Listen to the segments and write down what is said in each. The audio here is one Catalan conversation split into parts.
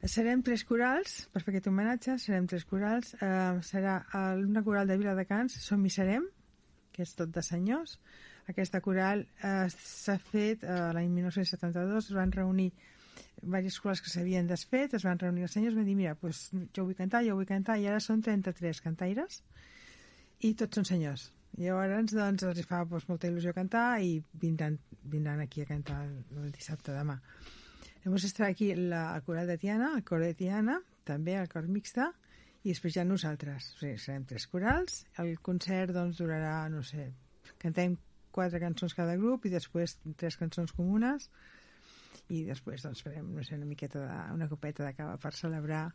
Serem 3 corals, per fer aquest homenatge, serem 3 corals. Serà una coral de Viladecans, Som i Serem, que és tot de senyors. Aquesta coral s'ha fet l'any 1972, es van reunir diverses corals que s'havien desfet, es van reunir els senyors, van dir, mira, doncs, jo vull cantar, i ara són 33 cantaires, i tots són senyors. Llavors, doncs, els fa molta il·lusió cantar i vindran aquí a cantar el dissabte demà. Llavors estarà aquí la coral de Tiana, el cor de Tiana, també el cor mixta, i després ja nosaltres. O sigui, serem 3 corals. El concert doncs, durarà, no sé, cantem 4 cançons cada grup i després 3 cançons comunes i després doncs, farem, no sé, una copeta de cava per celebrar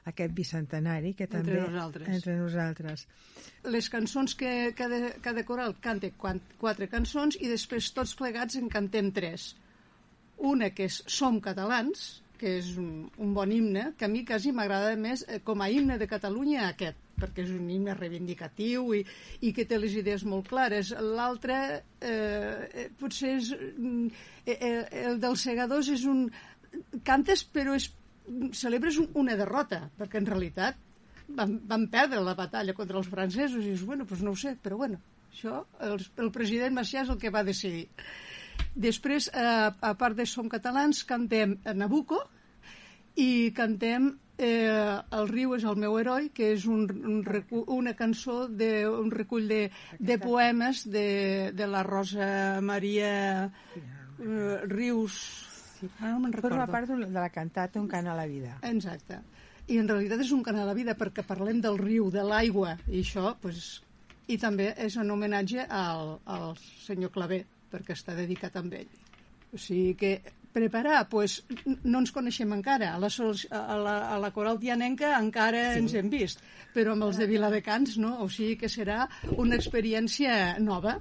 aquest bicentenari que també entre nosaltres. Les cançons que cada coral canta 4 cançons i després tots plegats en cantem 3. Una que és Som Catalans, que és un bon himne, que a mi quasi m'agrada més com a himne de Catalunya aquest, perquè és un himne reivindicatiu i que té les idees molt clares. L'altre potser és el dels segadors, és un cantes però celebres una derrota, perquè en realitat van perdre la batalla contra els francesos i dius, bueno, doncs no ho sé, però bueno, això el president Macià és el que va decidir. Després, a part de Som Catalans, cantem Nabucco i cantem El riu és el meu heroi, que és una cançó d'un recull de poemes de la Rosa Maria Rius. No me'n recordo. Forma part de la cantata Un cant a la vida. Exacte. I en realitat és un cant a la vida perquè parlem del riu, de l'aigua, i això, doncs... I també és un homenatge al senyor Clavé, perquè està dedicat a ell. O sigui que preparar, doncs no ens coneixem encara, a la coral tianenca encara ens hem vist, però amb els de Viladecans no, o sigui que serà una experiència nova